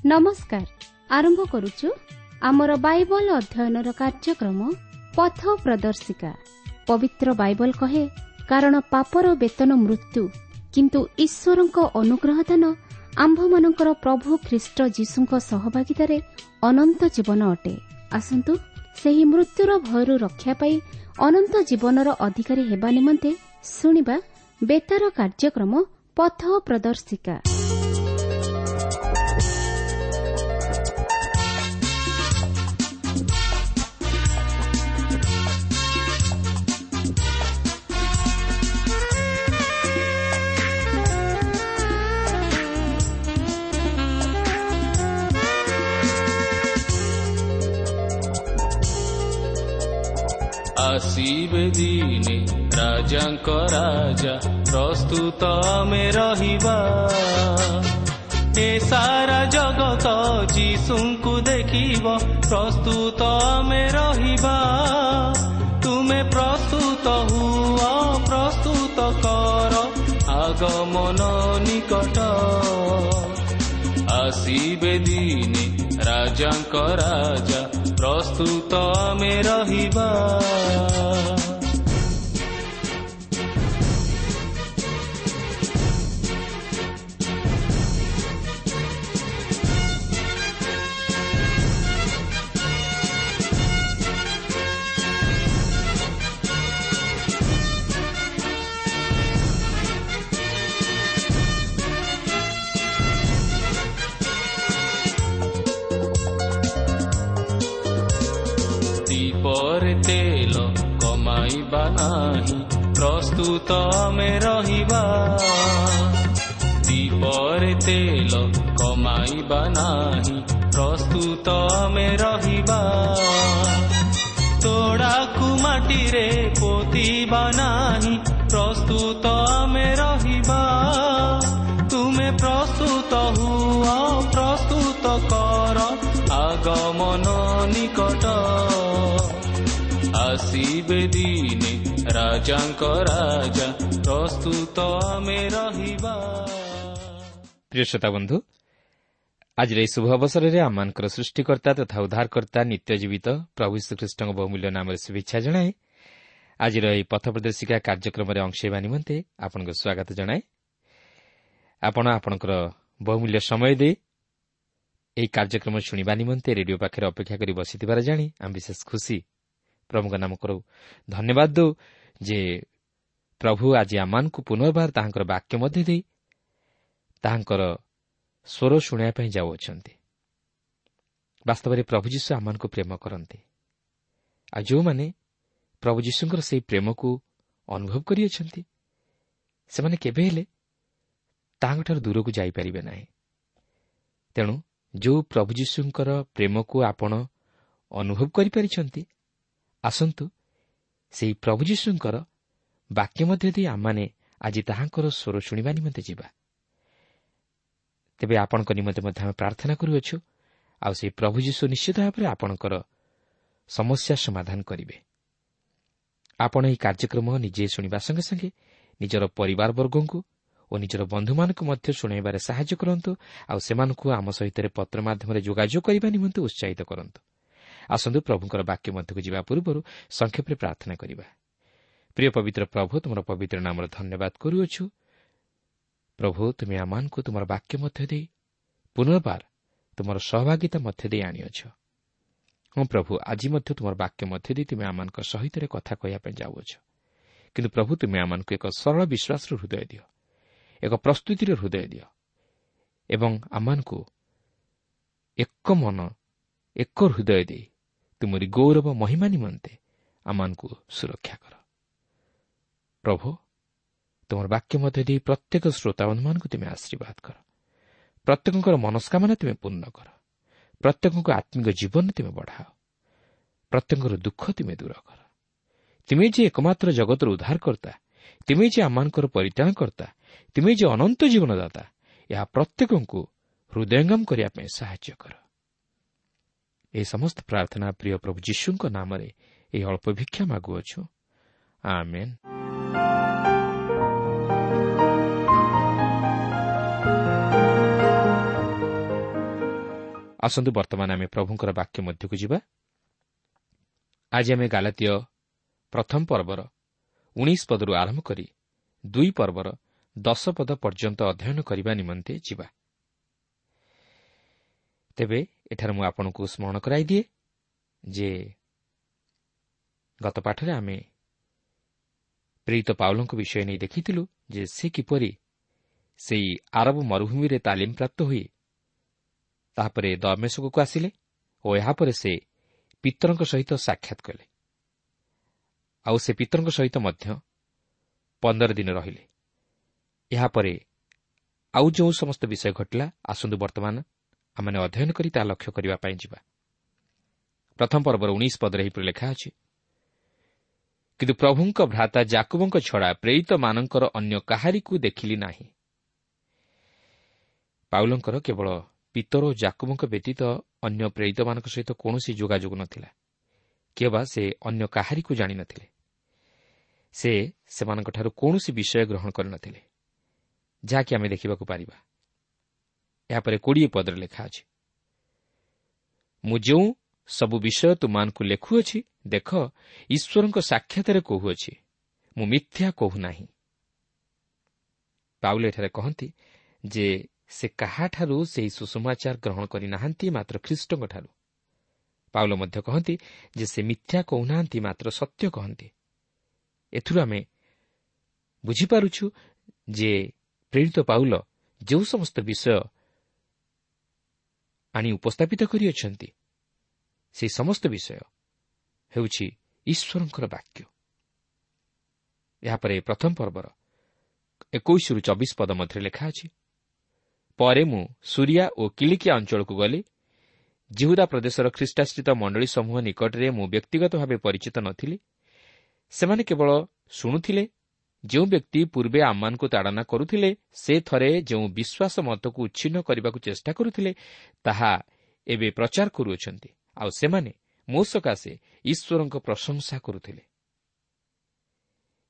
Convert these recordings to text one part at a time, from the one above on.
ନମସ୍କାର। ଆରମ୍ଭ କରୁଛୁ ଆମର ବାଇବଲ ଅଧ୍ୟୟନର କାର୍ଯ୍ୟକ୍ରମ ପଥ ପ୍ରଦର୍ଶିକା। ପବିତ୍ର ବାଇବଲ କହେ, କାରଣ ପାପର ବେତନ ମୃତ୍ୟୁ, କିନ୍ତୁ ଈଶ୍ୱରଙ୍କ ଅନୁଗ୍ରହ ଦାନ ଆମ୍ଭମାନଙ୍କର ପ୍ରଭୁ ଖ୍ରୀଷ୍ଟ ଯୀଶୁଙ୍କ ସହଭାଗିତାରେ ଅନନ୍ତ ଜୀବନ ଅଟେ। ଆସନ୍ତୁ ସେହି ମୃତ୍ୟୁର ଭୟରୁ ରକ୍ଷା ପାଇ ଅନନ୍ତ ଜୀବନର ଅଧିକାରୀ ହେବା ନିମନ୍ତେ ଶୁଣିବା ବେତାର କାର୍ଯ୍ୟକ୍ରମ ପଥ ପ୍ରଦର୍ଶିକା। ଆସିବେ ଦିନେ ରାଜାଙ୍କ ରାଜା, ପ୍ରସ୍ତୁତ ଆମେ ରହିବା। ଏ ସାରା ଜଗତ ଯୀଶୁଙ୍କୁ ଦେଖିବ, ପ୍ରସ୍ତୁତ ଆମେ ରହିବା। ତୁମେ ପ୍ରସ୍ତୁତ ହୁଅ, ପ୍ରସ୍ତୁତ କର, ଆଗମନ ନିକଟ। ଆସିବେ ଦିନେ ରାଜାଙ୍କ ରାଜା, ପ୍ରସ୍ତୁତ ଆମେ ରହିବା। ଦୀପରେ ତେଲ କମାଇବା ନାହିଁ, ପ୍ରସ୍ତୁତ ଆମେ ରହିବା। ଦୀପରେ ତେଲ କମାଇବା ନାହିଁ, ପ୍ରସ୍ତୁତ ଆମେ ରହିବା। ତୋଡ଼ାକୁ ମାଟିରେ ପୋତିବା ନାହିଁ, ପ୍ରସ୍ତୁତ ଆମେ ରହିବା। ତୁମେ ପ୍ରସ୍ତୁତ ହୁଅ, ପ୍ରସ୍ତୁତ କର, ଆଗମନ ନିକଟ। ଆସିବେ ଦିନେ ରାଜାଙ୍କ ରାଜା, ପ୍ରସ୍ତୁତ ଆମେ ରହିବା। ପ୍ରିୟ ଶ୍ରୋତା ବନ୍ଧୁ, ଆଜିର ଏହି ଶୁଭ ଅବସରରେ ଆମମାନଙ୍କର ସୃଷ୍ଟିକର୍ତ୍ତା ତଥା ଉଦ୍ଧାରକର୍ତ୍ତା ନିତ୍ୟ ଜୀବିତ ପ୍ରଭୁ ଶ୍ରୀଖ୍ରୀଷ୍ଟଙ୍କ ବହୁମୂଲ୍ୟ ନାମରେ ଶୁଭେଚ୍ଛା ଜଣାଏ। ଆଜିର ଏହି ପଥ ପ୍ରଦର୍ଶିକା କାର୍ଯ୍ୟକ୍ରମରେ ଅଂଶ ହେବା ନିମନ୍ତେ ଆପଣଙ୍କୁ ସ୍ୱାଗତ ଜଣାଏ। ଆପଣ ଆପଣଙ୍କର ବହୁମୂଲ୍ୟ ସମୟ ଦେଇ ଏହି କାର୍ଯ୍ୟକ୍ରମ ଶୁଣିବା ନିମନ୍ତେ ରେଡିଓ ପାଖରେ ଅପେକ୍ଷା କରି ବସିଥିବାର ଜାଣି ଆମେ ବିଶେଷ ଖୁସି। ପ୍ରଭୁଙ୍କ ନାମ କରୁ ଧନ୍ୟବାଦ ଦେଉ ଯେ ପ୍ରଭୁ ଆଜି ଆମମାନଙ୍କୁ ପୁନର୍ବାର ତାହାଙ୍କର ବାକ୍ୟ ମଧ୍ୟ ଦେଇ ତାହାଙ୍କର ସ୍ୱର ଶୁଣାଇବା ପାଇଁ ଯାଉଅଛନ୍ତି। ବାସ୍ତବରେ ପ୍ରଭୁ ଯୀଶୁ ଆମମାନଙ୍କୁ ପ୍ରେମ କରନ୍ତି, ଆଉ ଯେଉଁମାନେ ପ୍ରଭୁ ଯୀଶୁଙ୍କର ସେହି ପ୍ରେମକୁ ଅନୁଭବ କରିଅଛନ୍ତି ସେମାନେ କେବେ ହେଲେ ତାହାଙ୍କଠାରୁ ଦୂରକୁ ଯାଇପାରିବେ ନାହିଁ। ତେଣୁ ଯେଉଁ ପ୍ରଭୁ ଯୀଶୁଙ୍କର ପ୍ରେମକୁ ଆପଣ ଅନୁଭବ କରିପାରିଛନ୍ତି, ଆସନ୍ତୁ ସେହି ପ୍ରଭୁ ଯୀଶୁଙ୍କର ବାକ୍ୟ ମଧ୍ୟ ଦେଇ ଆମମାନେ ଆଜି ତାହାଙ୍କର ସ୍ୱର ଶୁଣିବା ନିମନ୍ତେ ଯିବା। ତେବେ ଆପଣଙ୍କ ନିମନ୍ତେ ମଧ୍ୟ ଆମେ ପ୍ରାର୍ଥନା କରୁଅଛୁ, ଆଉ ସେହି ପ୍ରଭୁ ଯୀଶୁ ନିଶ୍ଚିତ ଭାବରେ ଆପଣଙ୍କର ସମସ୍ୟା ସମାଧାନ କରିବେ। ଆପଣ ଏହି କାର୍ଯ୍ୟକ୍ରମ ନିଜେ ଶୁଣିବା ସଙ୍ଗେ ସଙ୍ଗେ ନିଜର ପରିବାରବର୍ଗଙ୍କୁ ଓ ନିଜର ବନ୍ଧୁମାନଙ୍କୁ ମଧ୍ୟ ଶୁଣାଇବାରେ ସାହାଯ୍ୟ କରନ୍ତୁ, ଆଉ ସେମାନଙ୍କୁ ଆମ ସହିତ ପତ୍ର ମାଧ୍ୟମରେ ଯୋଗାଯୋଗ କରିବା ନିମନ୍ତେ ଉତ୍ସାହିତ କରନ୍ତୁ। ଆସନ୍ତୁ ପ୍ରଭୁଙ୍କର ବାକ୍ୟ ମଧ୍ୟକୁ ଯିବା ପୂର୍ବରୁ ସଂକ୍ଷେପରେ ପ୍ରାର୍ଥନା କରିବା। ପ୍ରିୟ ପବିତ୍ର ପ୍ରଭୁ, ତୁମର ପବିତ୍ର ନାମର ଧନ୍ୟବାଦ କରୁଅଛୁ। ପ୍ରଭୁ, ତୁମେ ଆମମାନଙ୍କୁ ତୁମର ବାକ୍ୟ ମଧ୍ୟ ଦେଇ ପୁନର୍ବାର ତୁମର ସହଭାଗିତା ମଧ୍ୟ ଦେଇ ଆଣିଅଛ। ହଁ ପ୍ରଭୁ, ଆଜି ମଧ୍ୟ ତୁମର ବାକ୍ୟ ମଧ୍ୟ ଦେଇ ତୁମେ ଆମମାନଙ୍କ ସହିତ କଥା କହିବା ପାଇଁ ଯାଉଅଛ। କିନ୍ତୁ ପ୍ରଭୁ, ତୁମେ ଆମମାନଙ୍କୁ ଏକ ସରଳ ବିଶ୍ୱାସର ହୃଦୟ ଦିଅ, ଏକ ପ୍ରସ୍ତୁତିର ହୃଦୟ ଦିଅ, ଏବଂ ଆମମାନଙ୍କୁ ଏକ ମନ ଏକ ହୃଦୟ ଦେଇ ତୁମରି ଗୌରବ ମହିମା ନିମନ୍ତେ ଆମମାନଙ୍କୁ ସୁରକ୍ଷା କର। ପ୍ରଭୁ, ତୁମର ବାକ୍ୟ ମଧ୍ୟ ଦେଇ ପ୍ରତ୍ୟେକ ଶ୍ରୋତାବନ୍ଧୁମାନଙ୍କୁ ତୁମେ ଆଶୀର୍ବାଦ କର, ପ୍ରତ୍ୟେକଙ୍କର ମନସ୍କାମନା ତୁମେ ପୂର୍ଣ୍ଣ କର, ପ୍ରତ୍ୟେକଙ୍କ ଆତ୍ମିକ ଜୀବନ ତୁମେ ବଢ଼ାଅ, ପ୍ରତ୍ୟେକଙ୍କର ଦୁଃଖ ତୁମେ ଦୂର କର। ତୁମେ ଯେ ଏକମାତ୍ର ଜଗତର ଉଦ୍ଧାରକର୍ତ୍ତା, ତୁମେ ଯେ ଆମମାନଙ୍କର ପରିତ୍ରାଣକର୍ତ୍ତା, ତୁମେ ଯେ ଅନନ୍ତ ଜୀବନଦାତା, ଏହା ପ୍ରତ୍ୟେକଙ୍କୁ ହୃଦୟଙ୍ଗମ କରିବା ପାଇଁ ସାହାଯ୍ୟ କର। ଏହି ସମସ୍ତ ପ୍ରାର୍ଥନା ପ୍ରିୟ ପ୍ରଭୁ ଯୀଶୁଙ୍କ ନାମରେ ଏହି ଅଳ୍ପ ଭିକ୍ଷା ମାଗୁଅଛୁ, ଆମେନ୍। ଆସନ୍ତୁ ବର୍ତ୍ତମାନ ଆମେ ପ୍ରଭୁଙ୍କର ବାକ୍ୟ ମଧ୍ୟକୁ ଯିବା। ଆଜି ଆମେ ଗାଲାତୀୟ ପ୍ରଥମ ପର୍ବର 19 ପଦରୁ ଆରମ୍ଭ କରି 2 ପର୍ବର 10 ପଦ ପର୍ଯ୍ୟନ୍ତ ଅଧ୍ୟୟନ କରିବା ନିମନ୍ତେ ଯିବା। ତେବେ ଏଠାରେ ମୁଁ ଆପଣଙ୍କୁ ସ୍ମରଣ କରାଇଦିଏ ଯେ ଗତ ପାଠରେ ଆମେ ପ୍ରେରିତ ପାଉଲଙ୍କ ବିଷୟ ନେଇ ଦେଖିଥିଲୁ ଯେ ସେ କିପରି ସେଇ ଆରବ ମରୁଭୂମିରେ ତାଲିମ ପ୍ରାପ୍ତ ହୋଇ ତାହାପରେ ଦମେଶକକୁ ଆସିଲେ ଓ ଏହାପରେ ସେ ପିତରଙ୍କ ସହିତ ସାକ୍ଷାତ କଲେ। ଆଉ ସେ ପିତରଙ୍କ ସହିତ ମଧ୍ୟ 15 ଦିନ ରହିଲେ। ଏହାପରେ ଆଉ ଯେଉଁ ସମସ୍ତ ବିଷୟ ଘଟିଲା, ଆସନ୍ତୁ ବର୍ତ୍ତମାନ ଆମମାନେ ଅଧ୍ୟୟନ କରି ତାହା ଲକ୍ଷ୍ୟ କରିବା ପାଇଁ ଯିବା। ପ୍ରଥମ ପର୍ବର 19 ପଦରେ ଏହିପରି ଲେଖା ଅଛି, କିନ୍ତୁ ପ୍ରଭୁଙ୍କ ଭ୍ରାତା ଜାକୁବଙ୍କ ଛଡ଼ା ପ୍ରେରିତମାନଙ୍କର ଅନ୍ୟ କାହାରିକୁ ଦେଖିଲି ନାହିଁ। ପାଉଲଙ୍କର କେବଳ ପିତର ଓ ଜାକୁବଙ୍କ ବ୍ୟତୀତ ଅନ୍ୟ ପ୍ରେରିତମାନଙ୍କ ସହିତ କୌଣସି ଯୋଗାଯୋଗ ନଥିଲା, କିମ୍ବା ସେ ଅନ୍ୟ କାହାରିକୁ ଜାଣିନଥିଲେ। ସେ ସେମାନଙ୍କଠାରୁ କୌଣସି ବିଷୟ ଗ୍ରହଣ କରିନଥିଲେ, ଯାହାକି ଆମେ ଦେଖିବାକୁ ପାରିବା। ଏହାପରେ 20 ପଦରେ ଲେଖା ଅଛି, ମୁଁ ଯେଉଁ ସବୁ ବିଷୟ ତୁମମାନଙ୍କୁ ଲେଖୁଅଛି, ଦେଖ, ଈଶ୍ୱରଙ୍କ ସାକ୍ଷାତରେ କହୁଅଛି, ମୁଁ ମିଥ୍ୟା କହୁନାହିଁ। ପାଉଲ ଏଠାରେ କହନ୍ତି ଯେ ସେ କାହାଠାରୁ ସେହି ସୁସମାଚାର ଗ୍ରହଣ କରିନାହାନ୍ତି, ମାତ୍ର ଖ୍ରୀଷ୍ଟଙ୍କଠାରୁ। ପାଉଲ ମଧ୍ୟ କହନ୍ତି ଯେ ସେ ମିଥ୍ୟା କହୁନାହାନ୍ତି, ମାତ୍ର ସତ୍ୟ କହନ୍ତି। ଏଥିରୁ ଆମେ ବୁଝିପାରୁଛୁ ଯେ ପ୍ରେରିତ ପାଉଲ ଯେଉଁ ସମସ୍ତ ବିଷୟ ଆଣି ଉପସ୍ଥାପିତ କରିଅଛନ୍ତି, ସେହି ସମସ୍ତ ବିଷୟ ହେଉଛି ଈଶ୍ୱରଙ୍କର ବାକ୍ୟ। ଏହାପରେ ପ୍ରଥମ ପର୍ବର 21ରୁ 24 ପଦ ମଧ୍ୟରେ ଲେଖା ଅଛି, ପରେ ମୁଁ ସୁରିଆ ଓ କିଲିକିଆ ଅଞ୍ଚଳକୁ ଗଲି। ଜିହୁଦା ପ୍ରଦେଶର ଖ୍ରୀଷ୍ଟାଶ୍ରିତ ମଣ୍ଡଳୀ ସମୂହ ନିକଟରେ ମୁଁ ବ୍ୟକ୍ତିଗତ ଭାବେ ପରିଚିତ ନଥିଲି। ସେମାନେ କେବଳ ଶୁଣୁଥିଲେ। ଯେଉଁ ବ୍ୟକ୍ତି ପୂର୍ବେ ଆମମାନଙ୍କୁ ତାଡ଼ନା କରୁଥିଲେ, ସେ ଥରେ ଯେଉଁ ବିଶ୍ୱାସ ମତକୁ ଉଚ୍ଛିନ୍ନ କରିବାକୁ ଚେଷ୍ଟା କରୁଥିଲେ, ତାହା ଏବେ ପ୍ରଚାର କରୁଅଛନ୍ତି। ଆଉ ସେମାନେ ମୋ ସକାଶେ ଈଶ୍ୱରଙ୍କ ପ୍ରଶଂସା କରୁଥିଲେ।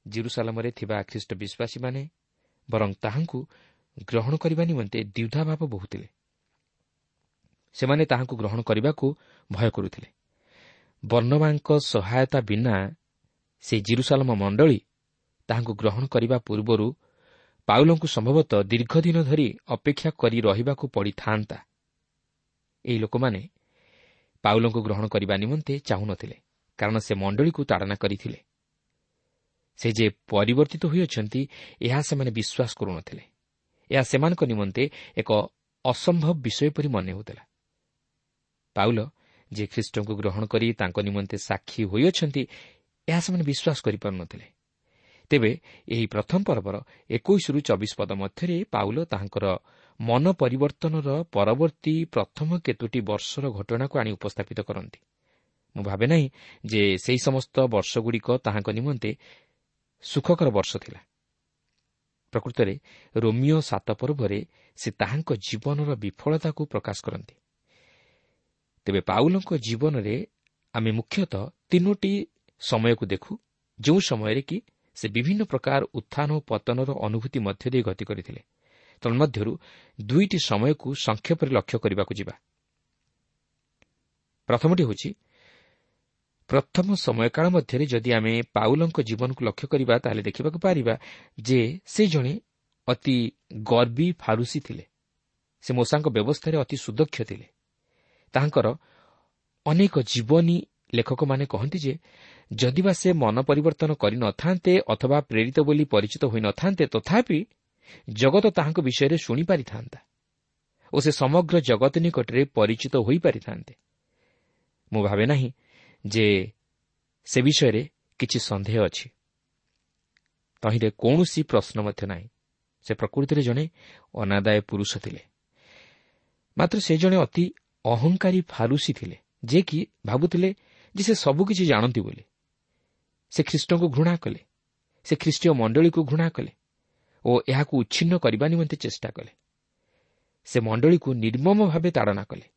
ଜେରୁସାଲମରେ ଥିବା ଖ୍ରୀଷ୍ଟ ବିଶ୍ୱାସୀମାନେ ବରଂ ତାହାଙ୍କୁ ଗ୍ରହଣ କରିବା ନିମନ୍ତେ ଦ୍ୱିଧାଭାବ ବହୁଥିଲେ। ସେମାନେ ତାହାଙ୍କୁ ଗ୍ରହଣ କରିବାକୁ ଭୟ କରୁଥିଲେ। ବର୍ଣ୍ଣବାଙ୍କ ସହାୟତା ବିନା ସେ ଜେରୁସାଲମ ମଣ୍ଡଳୀ ତାହାଙ୍କୁ ଗ୍ରହଣ କରିବା ପୂର୍ବରୁ ପାଉଲଙ୍କୁ ସମ୍ଭବତଃ ଦୀର୍ଘଦିନ ଧରି ଅପେକ୍ଷା କରି ରହିବାକୁ ପଡ଼ିଥାନ୍ତା। ଏହି ଲୋକମାନେ ପାଉଲଙ୍କୁ ଗ୍ରହଣ କରିବା ନିମନ୍ତେ ଚାହୁଁନଥିଲେ, କାରଣ ସେ ମଣ୍ଡଳୀକୁ ତାଡ଼ନା କରିଥିଲେ। ସେ ଯେ ପରିବର୍ତ୍ତିତ ହୋଇଅଛନ୍ତି, ଏହା ସେମାନେ ବିଶ୍ୱାସ କରୁନଥିଲେ। ଏହା ସେମାନଙ୍କ ନିମନ୍ତେ ଏକ ଅସମ୍ଭବ ବିଷୟ ପରି ମନେ ହେଉଥିଲା। ପାଉଲ ଯେ ଖ୍ରୀଷ୍ଟଙ୍କୁ ଗ୍ରହଣ କରି ତାଙ୍କ ନିମନ୍ତେ ସାକ୍ଷୀ ହୋଇଅଛନ୍ତି, ଏହା ସେମାନେ ବିଶ୍ୱାସ କରିପାରୁନଥିଲେ। ତେବେ ଏହି ପ୍ରଥମ ପର୍ବର 21ରୁ 24 ପଦ ମଧ୍ୟରେ ପାଉଲ ତାହାଙ୍କର ମନ ପରିବର୍ତ୍ତନର ପରବର୍ତ୍ତୀ ପ୍ରଥମ କେତୋଟି ବର୍ଷର ଘଟଣାକୁ ଆଣି ଉପସ୍ଥାପିତ କରନ୍ତି। ମୁଁ ଭାବେ ନାହିଁ ଯେ ସେହି ସମସ୍ତ ବର୍ଷଗୁଡ଼ିକ ତାହାଙ୍କ ନିମନ୍ତେ ସୁଖକର ବର୍ଷ ଥିଲା। ପ୍ରକୃତରେ ରୋମିଓ 7 ପର୍ବରେ ସେ ତାହାଙ୍କ ଜୀବନର ବିଫଳତାକୁ ପ୍ରକାଶ କରନ୍ତି। ତେବେ ପାଉଲଙ୍କ ଜୀବନରେ ଆମେ ମୁଖ୍ୟତଃ 3 ସମୟକୁ ଦେଖୁ, ଯେଉଁ ସମୟରେ କି ସେ ବିଭିନ୍ନ ପ୍ରକାର ଉତ୍ଥାନ ଓ ପତନର ଅନୁଭୂତି ମଧ୍ୟ ଦେଇ ଗତି କରିଥିଲେ। ତନ୍ମଧ୍ୟରୁ 2 ସମୟକୁ ସଂକ୍ଷେପରେ ଲକ୍ଷ୍ୟ କରିବାକୁ ଯିବା। ପ୍ରଥମଟି ହେଉଛି ପ୍ରଥମ ସମୟକାଳ ମଧ୍ୟରେ ଯଦି ଆମେ ପାଉଲଙ୍କ ଜୀବନକୁ ଲକ୍ଷ୍ୟ କରିବା, ତାହେଲେ ଦେଖିବାକୁ ପାରିବା ଯେ ସେ ଜଣେ ଅତି ଗର୍ବୀ ଫାରୁସୀ ଥିଲେ। ସେ ମୋଶାଙ୍କ ବ୍ୟବସ୍ଥାରେ ଅତି ସୁଦକ୍ଷ ଥିଲେ। ତାହାଙ୍କର ଅନେକ ଜୀବନୀ ଲେଖକମାନେ କହନ୍ତି ଯେ ଯଦିବା ସେ ମନ ପରିବର୍ତ୍ତନ କରିନଥାନ୍ତେ ଅଥବା ପ୍ରେରିତ ବୋଲି ପରିଚିତ ହୋଇନଥାନ୍ତେ, ତଥାପି ଜଗତ ତାହାଙ୍କ ବିଷୟରେ ଶୁଣିପାରିଥାନ୍ତା ଓ ସେ ସମଗ୍ର ଜଗତ ନିକଟରେ ପରିଚିତ ହୋଇପାରିଥାନ୍ତେ। ମୁଁ ଭାବେ ନାହିଁ ଯେ ସେ ବିଷୟରେ କିଛି ସନ୍ଦେହ ଅଛି। ତହିଁରେ କୌଣସି ପ୍ରଶ୍ନ ମଧ୍ୟ ନାହିଁ। ସେ ପ୍ରକୃତିରେ ଜଣେ ଅନାଦାୟ ପୁରୁଷ ଥିଲେ, ମାତ୍ର ସେ ଜଣେ ଅତି ଅହଙ୍କାରୀ ଫାରୁସୀ ଥିଲେ, ଯେ କି ଭାବୁଥିଲେ ଯେ ସେ ସବୁକିଛି ଜାଣନ୍ତି ବୋଲି। ସେ ଖ୍ରୀଷ୍ଟଙ୍କୁ ଘୃଣା କଲେ, ସେ ଖ୍ରୀଷ୍ଟୀୟ ମଣ୍ଡଳୀକୁ ଘୃଣା କଲେ ଓ ଏହାକୁ ଉଚ୍ଛିନ୍ନ କରିବା ନିମନ୍ତେ ଚେଷ୍ଟା କଲେ। ସେ ମଣ୍ଡଳୀକୁ ନିର୍ମମ ଭାବେ ତାଡ଼ନା କଲେ।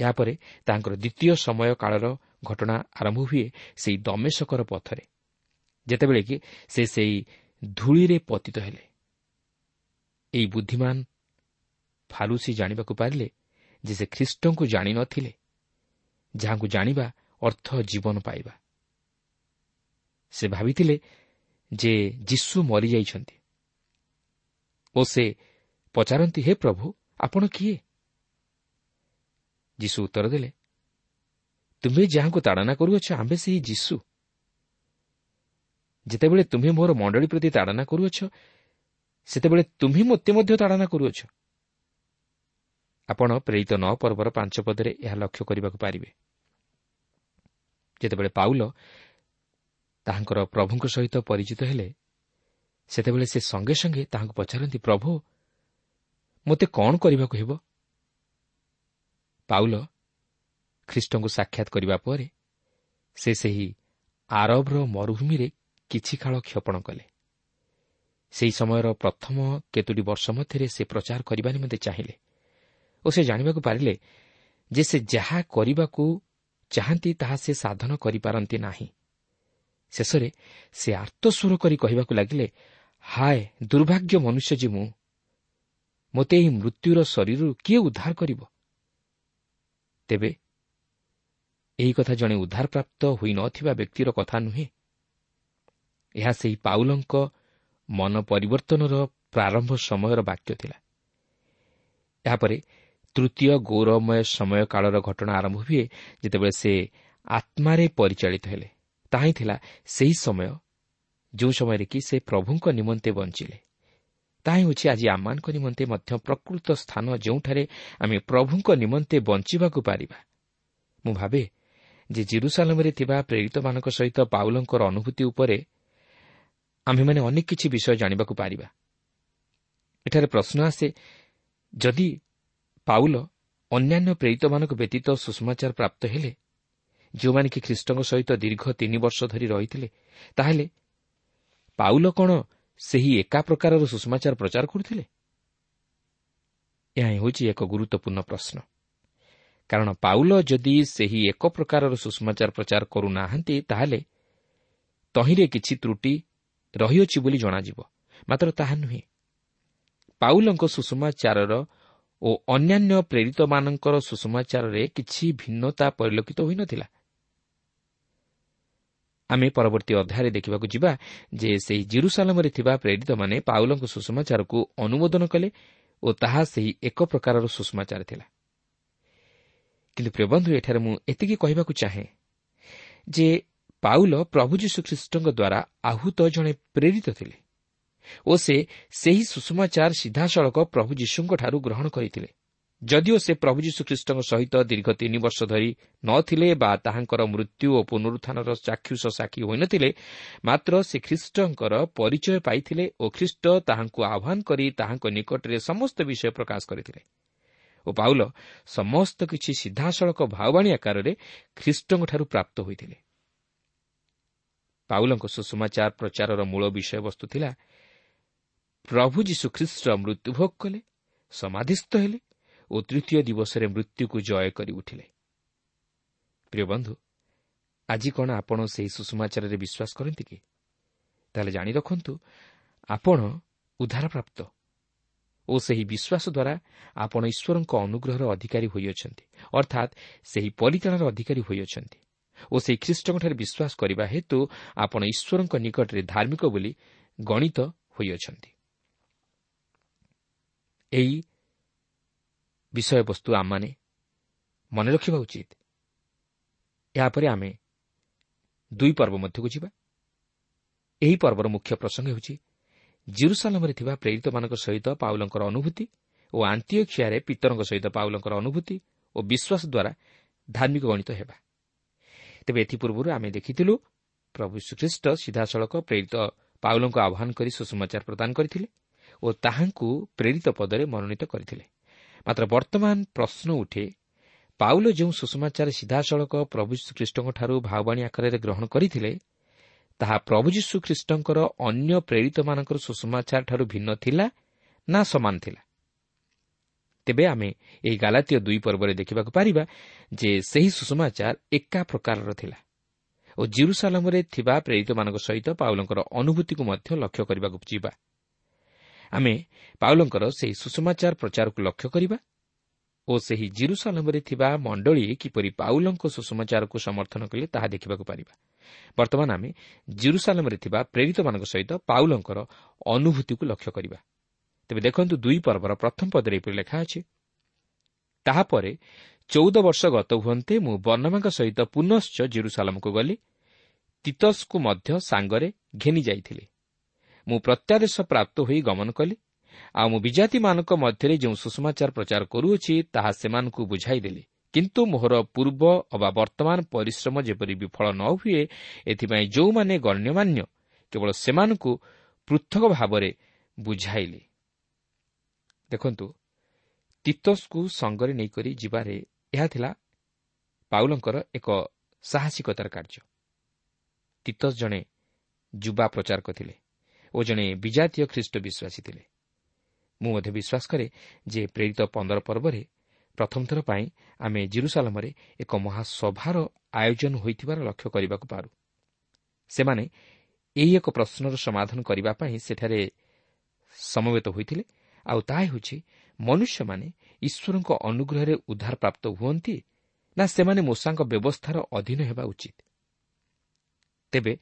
ଏହାପରେ ତାଙ୍କର ଦ୍ୱିତୀୟ ସମୟ କାଳର ଘଟଣା ଆରମ୍ଭ ହୁଏ ସେଇ ଦମେଶକର ପଥରେ, ଯେତେବେଳେ କି ସେ ସେଇ ଧୂଳିରେ ପତିତ ହେଲେ। ଏହି ବୁଦ୍ଧିମାନ ଫାରୁସୀ ଜାଣିବାକୁ ପାରିଲେ ଯେ ସେ ଖ୍ରୀଷ୍ଟଙ୍କୁ ଜାଣିନଥିଲେ, ଯାହାଙ୍କୁ ଜାଣିବା ଅର୍ଥ ଜୀବନ ପାଇବା। ସେ ଭାବିଥିଲେ ଯେ ଯୀଶୁ ମରିଯାଇଛନ୍ତି ଓ ସେ ପଚାରନ୍ତି, ହେ ପ୍ରଭୁ, ଆପଣ କିଏ? ଯୀଶୁ ଉତ୍ତର ଦେଲେ, ତୁମ୍ଭେ ଯାହାଙ୍କୁ ତାଡ଼ନା କରୁଅଛ, ଆମ୍ଭେ ସେହି ଯୀଶୁ। ଯେତେବେଳେ ତୁମ୍ଭେ ମୋର ମଣ୍ଡଳୀ ପ୍ରତି ତାଡ଼ନା କରୁଅଛ, ସେତେବେଳେ ତୁମ୍ଭେ ମୋତେ ମଧ୍ୟ ତାଡ଼ନା କରୁଅଛ। ଆପଣ ପ୍ରେରିତ 9 ପର୍ବର 5 ପଦରେ ଏହା ଲକ୍ଷ୍ୟ କରିବାକୁ ପାରିବେ। ଯେତେବେଳେ ପାଉଲ ତାହାଙ୍କର ପ୍ରଭୁଙ୍କ ସହିତ ପରିଚିତ ହେଲେ, ସେତେବେଳେ ସେ ସଙ୍ଗେ ସଙ୍ଗେ ତାହାଙ୍କୁ ପଚାରନ୍ତି, ପ୍ରଭୁ, ମୋତେ କ'ଣ କରିବାକୁ ହେବ? ପାଉଲ ଖ୍ରୀଷ୍ଟଙ୍କୁ ସାକ୍ଷାତ କରିବା ପରେ ସେ ସେହି ଆରବର ମରୁଭୂମିରେ କିଛି କାଳ କ୍ଷେପଣ କଲେ। ସେହି ସମୟର ପ୍ରଥମ କେତୋଟି ବର୍ଷ ମଧ୍ୟରେ ସେ ପ୍ରଚାର କରିବା ନିମନ୍ତେ ଚାହିଁଲେ ଓ ସେ ଜାଣିବାକୁ ପାରିଲେ ଯେ ସେ ଯାହା କରିବାକୁ ଚାହାନ୍ତି ତାହା ସେ ସାଧନ କରିପାରନ୍ତି ନାହିଁ। ଶେଷରେ ସେ ଆର୍ତ୍ତସ୍ୱର କରି କହିବାକୁ ଲାଗିଲେ, ହାୟ ଦୁର୍ଭାଗ୍ୟ ମନୁଷ୍ୟ ଯେ ମୁଁ, ମୋତେ ଏହି ମୃତ୍ୟୁର ଶରୀରରୁ କିଏ ଉଦ୍ଧାର କରିବ? ତେବେ ଏହି କଥା ଜଣେ ଉଦ୍ଧାରପ୍ରାପ୍ତ ହୋଇନଥିବା ବ୍ୟକ୍ତିର କଥା ନୁହେଁ। ଏହା ସେହି ପାଉଲଙ୍କ ମନ ପରିବର୍ତ୍ତନର ପ୍ରାରମ୍ଭ ସମୟର ବାକ୍ୟ ଥିଲା। ଏହାପରେ ତୃତୀୟ ଗୌରବମୟ ସମୟ କାଳର ଘଟଣା ଆରମ୍ଭ ହୁଏ, ଯେତେବେଳେ ସେ ଆତ୍ମାରେ ପରିଚାଳିତ ହେଲେ। ତାହା ହିଁ ଥିଲା ସେହି ସମୟ ଯେଉଁ ସମୟରେ କି ସେ ପ୍ରଭୁଙ୍କ ନିମନ୍ତେ ବଞ୍ଚିଲେ। ତାହା ହେଉଛି ଆଜି ଆମମାନଙ୍କ ନିମନ୍ତେ ମଧ୍ୟ ପ୍ରକୃତ ସ୍ଥାନ, ଯେଉଁଠାରେ ଆମେ ପ୍ରଭୁଙ୍କ ନିମନ୍ତେ ବଞ୍ଚିବାକୁ ପାରିବା। ମୁଁ ଭାବେ ଯେ ଜେରୁସାଲେମରେ ଥିବା ପ୍ରେରିତମାନଙ୍କ ସହିତ ପାଉଲଙ୍କର ଅନୁଭୂତି ଉପରେ ଆମ୍ଭେମାନେ ଅନେକ କିଛି ବିଷୟ ଜାଣିବାକୁ ପାରିବା। ଏଠାରେ ପ୍ରଶ୍ନ ଆସେ, ଯଦି ପାଉଲ ଅନ୍ୟାନ୍ୟ ପ୍ରେରିତମାନଙ୍କ ବ୍ୟତୀତ ସୁସମାଚାର ପ୍ରାପ୍ତ ହେଲେ, ଯେଉଁମାନେ କି ଖ୍ରୀଷ୍ଟଙ୍କ ସହିତ ଦୀର୍ଘ 3 ବର୍ଷ ଧରି ରହିଥିଲେ, ତାହେଲେ ପାଉଲ କ'ଣ ସେହି ଏକା ପ୍ରକାରର ସୁସମାଚାର ପ୍ରଚାର କରୁଥିଲେ? ଏହା ହେଉଛି ଏକ ଗୁରୁତ୍ୱପୂର୍ଣ୍ଣ ପ୍ରଶ୍ନ। କାରଣ ପାଉଲ ଯଦି ସେହି ଏକ ପ୍ରକାରର ସୁସମାଚାର ପ୍ରଚାର କରୁନାହାନ୍ତି, ତାହେଲେ ତହିଁରେ କିଛି ତ୍ରୁଟି ରହିଅଛି ବୋଲି ଜଣାଯିବ, ମାତ୍ର ତାହା ନୁହେଁ। ପାଉଲଙ୍କ ସୁସମାଚାରର ଓ ଅନ୍ୟାନ୍ୟ ପ୍ରେରିତମାନଙ୍କର ସୁସମାଚାରରେ କିଛି ଭିନ୍ନତା ପରିଲକ୍ଷିତ ହୋଇନଥିଲା। ଆମେ ପରବର୍ତ୍ତୀ ଅଧ୍ୟାୟରେ ଦେଖିବାକୁ ଯିବା ଯେ ସେହି ଜେରୁସାଲେମରେ ଥିବା ପ୍ରେରିତମାନେ ପାଉଲଙ୍କ ସୁସମାଚାରକୁ ଅନୁମୋଦନ କଲେ ଓ ତାହା ସେହି ଏକ ପ୍ରକାରର ସୁସମାଚାର ଥିଲା। କିନ୍ତୁ ପ୍ରିୟବନ୍ଧୁ, ଏଠାରେ ମୁଁ ଏତିକି କହିବାକୁ ଚାହେଁ ଯେ ପାଉଲ ପ୍ରଭୁ ଯୀଶୁଖ୍ରୀଷ୍ଟଙ୍କ ଦ୍ୱାରା ଆହୁତ ଜଣେ ପ୍ରେରିତ ଥିଲେ ଓ ସେ ସେହି ସୁସମାଚାର ସିଧାସଳଖ ପ୍ରଭୁ ଯୀଶୁଙ୍କଠାରୁ ଗ୍ରହଣ କରିଥିଲେ। ଯଦିଓ ସେ ପ୍ରଭୁ ଯୀଶୁଖ୍ରୀଷ୍ଟଙ୍କ ସହିତ ଦୀର୍ଘ 3 ବର୍ଷ ଧରି ନଥିଲେ ବା ତାହାଙ୍କର ମୃତ୍ୟୁ ଓ ପୁନରୁତ୍ଥାନର ଚାକ୍ଷୁଷ ସାକ୍ଷୀ ହୋଇନଥିଲେ, ମାତ୍ର ସେ ଖ୍ରୀଷ୍ଟଙ୍କର ପରିଚୟ ପାଇଥିଲେ ଓ ଖ୍ରୀଷ୍ଟ ତାହାଙ୍କୁ ଆହ୍ୱାନ କରି ତାହାଙ୍କ ନିକଟରେ ସମସ୍ତ ବିଷୟ ପ୍ରକାଶ କରିଥିଲେ ଓ ପାଉଲ ସମସ୍ତ କିଛି ସିଧାସଳଖ ଭାବବାଣୀ ଆକାରରେ ଖ୍ରୀଷ୍ଟଙ୍କଠାରୁ ପ୍ରାପ୍ତ ହୋଇଥିଲେ। ପାଉଲଙ୍କ ସୁସମାଚାର ପ୍ରଚାରର ମୂଳ ବିଷୟବସ୍ତୁ ଥିଲା ପ୍ରଭୁ ଯୀଶୁଖ୍ରୀଷ୍ଟ ମୃତ୍ୟୁଭୋଗ କଲେ, ସମାଧିସ୍ଥ ହେଲେ ଓ ତୃତୀୟ ଦିବସରେ ମୃତ୍ୟୁକୁ ଜୟ କରି ଉଠିଲେ। ପ୍ରିୟ ବନ୍ଧୁ, ଆଜି କ'ଣ ଆପଣ ସେହି ସୁସମାଚାରରେ ବିଶ୍ୱାସ କରନ୍ତି କି? ତାହେଲେ ଜାଣି ରଖନ୍ତୁ, ଆପଣ ଉଦ୍ଧାରପ୍ରାପ୍ତ ଓ ସେହି ବିଶ୍ୱାସ ଦ୍ୱାରା ଆପଣ ଈଶ୍ୱରଙ୍କ ଅନୁଗ୍ରହର ଅଧିକାରୀ ହୋଇଅଛନ୍ତି, ଅର୍ଥାତ୍ ସେହି ପରିତ୍ରାଣର ଅଧିକାରୀ ହୋଇଅଛନ୍ତି ଓ ସେହି ଖ୍ରୀଷ୍ଟଙ୍କଠାରେ ବିଶ୍ୱାସ କରିବା ହେତୁ ଆପଣ ଈଶ୍ୱରଙ୍କ ନିକଟରେ ଧାର୍ମିକ ବୋଲି ଗଣିତ ହୋଇଅଛନ୍ତି। ଏହି ବିଷୟବସ୍ତୁ ଆମମାନେ ମନେ ରଖିବା ଉଚିତ। ଏହାପରେ ଆମେ 2 ପର୍ବ ମଧ୍ୟକୁ ଯିବା। ଏହି ପର୍ବର ମୁଖ୍ୟ ପ୍ରସଙ୍ଗ ହେଉଛି ଜେରୁସାଲେମରେ ଥିବା ପ୍ରେରିତମାନଙ୍କ ସହିତ ପାଉଲଙ୍କର ଅନୁଭୂତି ଓ ଆନ୍ତିଓଖିଆରେ ପିତରଙ୍କ ସହିତ ପାଉଲଙ୍କର ଅନୁଭୂତି ଓ ବିଶ୍ୱାସ ଦ୍ୱାରା ଧାର୍ମିକ ଗଣିତ ହେବା। ତେବେ ଏଥିପୂର୍ବରୁ ଆମେ ଦେଖିଥିଲୁ ପ୍ରଭୁ ଯୀଶୁଖ୍ରୀଷ୍ଟ ସିଧାସଳଖ ପ୍ରେରିତ ପାଉଲଙ୍କୁ ଆହ୍ୱାନ କରି ସୁସମାଚାର ପ୍ରଦାନ କରିଥିଲେ ଓ ତାହାଙ୍କୁ ପ୍ରେରିତ ପଦରେ ମନୋନୀତ କରିଥିଲେ। ମାତ୍ର ବର୍ତ୍ତମାନ ପ୍ରଶ୍ନ ଉଠେ, ପାଉଲ ଯେଉଁ ସୁସମାଚାର ସିଧାସଳଖ ପ୍ରଭୁ ଯୀଶୁଖ୍ରୀଷ୍ଟଙ୍କଠାରୁ ଭାବବାଣୀ ଆକାରରେ ଗ୍ରହଣ କରିଥିଲେ, ତାହା ପ୍ରଭୁ ଯୀଶୁଖ୍ରୀଷ୍ଟଙ୍କର ଅନ୍ୟ ପ୍ରେରିତମାନଙ୍କର ସୁସମାଚାରଠାରୁ ଭିନ୍ନ ଥିଲା ନା ସମାନ ଥିଲା? ତେବେ ଆମେ ଏହି ଗାଲାତୀୟ 2 ପର୍ବରେ ଦେଖିବାକୁ ପାରିବା ଯେ ସେହି ସୁସମାଚାର ଏକା ପ୍ରକାରର ଥିଲା ଓ ଜେରୁସାଲେମରେ ଥିବା ପ୍ରେରିତମାନଙ୍କ ସହିତ ପାଉଲଙ୍କର ଅନୁଭୂତିକୁ ମଧ୍ୟ ଲକ୍ଷ୍ୟ କରିବାକୁ ଯିବା। ଆମେ ପାଉଲଙ୍କର ସେହି ସୁସମାଚାର ପ୍ରଚାରକୁ ଲକ୍ଷ୍ୟ କରିବା ଓ ସେହି ଜିରୁସାଲମରେ ଥିବା ମଣ୍ଡଳୀ କିପରି ପାଉଲଙ୍କ ସୁସମାଚାରକୁ ସମର୍ଥନ କଲେ ତାହା ଦେଖିବାକୁ ପାରିବା। ବର୍ତ୍ତମାନ ଆମେ ଜିରୁସାଲମରେ ଥିବା ପ୍ରେରିତମାନଙ୍କ ସହିତ ପାଉଲଙ୍କର ଅନୁଭୂତିକୁ ଲକ୍ଷ୍ୟ କରିବା। ତେବେ ଦେଖନ୍ତୁ, 2 ପର୍ବର ପ୍ରଥମ ପଦରେ ଏପରି ଲେଖା ଅଛି, ତାହାପରେ 14 ବର୍ଷ ଗତ ହୁଅନ୍ତେ ମୁଁ ବର୍ଣ୍ଣବାଙ୍କ ସହିତ ପୁନଶ୍ଚ ଜିରୁସାଲମକୁ ଗଲି, ତିତସକୁ ମଧ୍ୟ ସାଙ୍ଗରେ ଘେନି ଯାଇଥିଲି। ମୁଁ ପ୍ରତ୍ୟାଦେଶ ପ୍ରାପ୍ତ ହୋଇ ଗମନ କଲି, ଆଉ ମୁଁ ବିଜାତିମାନଙ୍କ ମଧ୍ୟରେ ଯେଉଁ ସୁସମାଚାର ପ୍ରଚାର କରୁଅଛି ତାହା ସେମାନଙ୍କୁ ବୁଝାଇଦେଲି। କିନ୍ତୁ ମୋହର ପୂର୍ବ ଅବା ବର୍ତ୍ତମାନ ପରିଶ୍ରମ ଯେପରି ବିଫଳ ନ ହୁଏ, ଏଥିପାଇଁ ଯେଉଁମାନେ ଗଣ୍ୟମାନ୍ୟ କେବଳ ସେମାନଙ୍କୁ ପୃଥକ ଭାବରେ ବୁଝାଇଲି। ଦେଖନ୍ତୁ, ତିତସକୁ ସଙ୍ଗରେ ନେଇକରି ଯିବାରେ ଏହା ଥିଲା ପାଉଲଙ୍କର ଏକ ସାହସିକତାର କାର୍ଯ୍ୟ। ତିତସ ଜଣେ ଯୁବା ପ୍ରଚାରକ ଥିଲେ ଓ ଜଣେ ବିଜାତୀୟ ଖ୍ରୀଷ୍ଟ ବିଶ୍ୱାସୀ ଥିଲେ। ମୁଁ ମଧ୍ୟ ବିଶ୍ୱାସ କରେ ଯେ ପ୍ରେରିତ 15 ପର୍ବରେ ପ୍ରଥମ ଥର ପାଇଁ ଆମେ ଜିରୁସାଲମରେ ଏକ ମହାସଭାର ଆୟୋଜନ ହୋଇଥିବାର ଲକ୍ଷ୍ୟ କରିବାକୁ ପାରୁ। ସେମାନେ ଏହି ଏକ ପ୍ରଶ୍ନର ସମାଧାନ କରିବା ପାଇଁ ସେଠାରେ ସମବେତ ହୋଇଥିଲେ, ଆଉ ତାହା ହେଉଛି ମନୁଷ୍ୟମାନେ ଈଶ୍ୱରଙ୍କ ଅନୁଗ୍ରହରେ ଉଦ୍ଧାର ପ୍ରାପ୍ତ ହୁଅନ୍ତି ନା ସେମାନେ ମୋଶାଙ୍କ ବ୍ୟବସ୍ଥାର ଅଧୀନ ହେବା ଉଚିତ। ତେବେ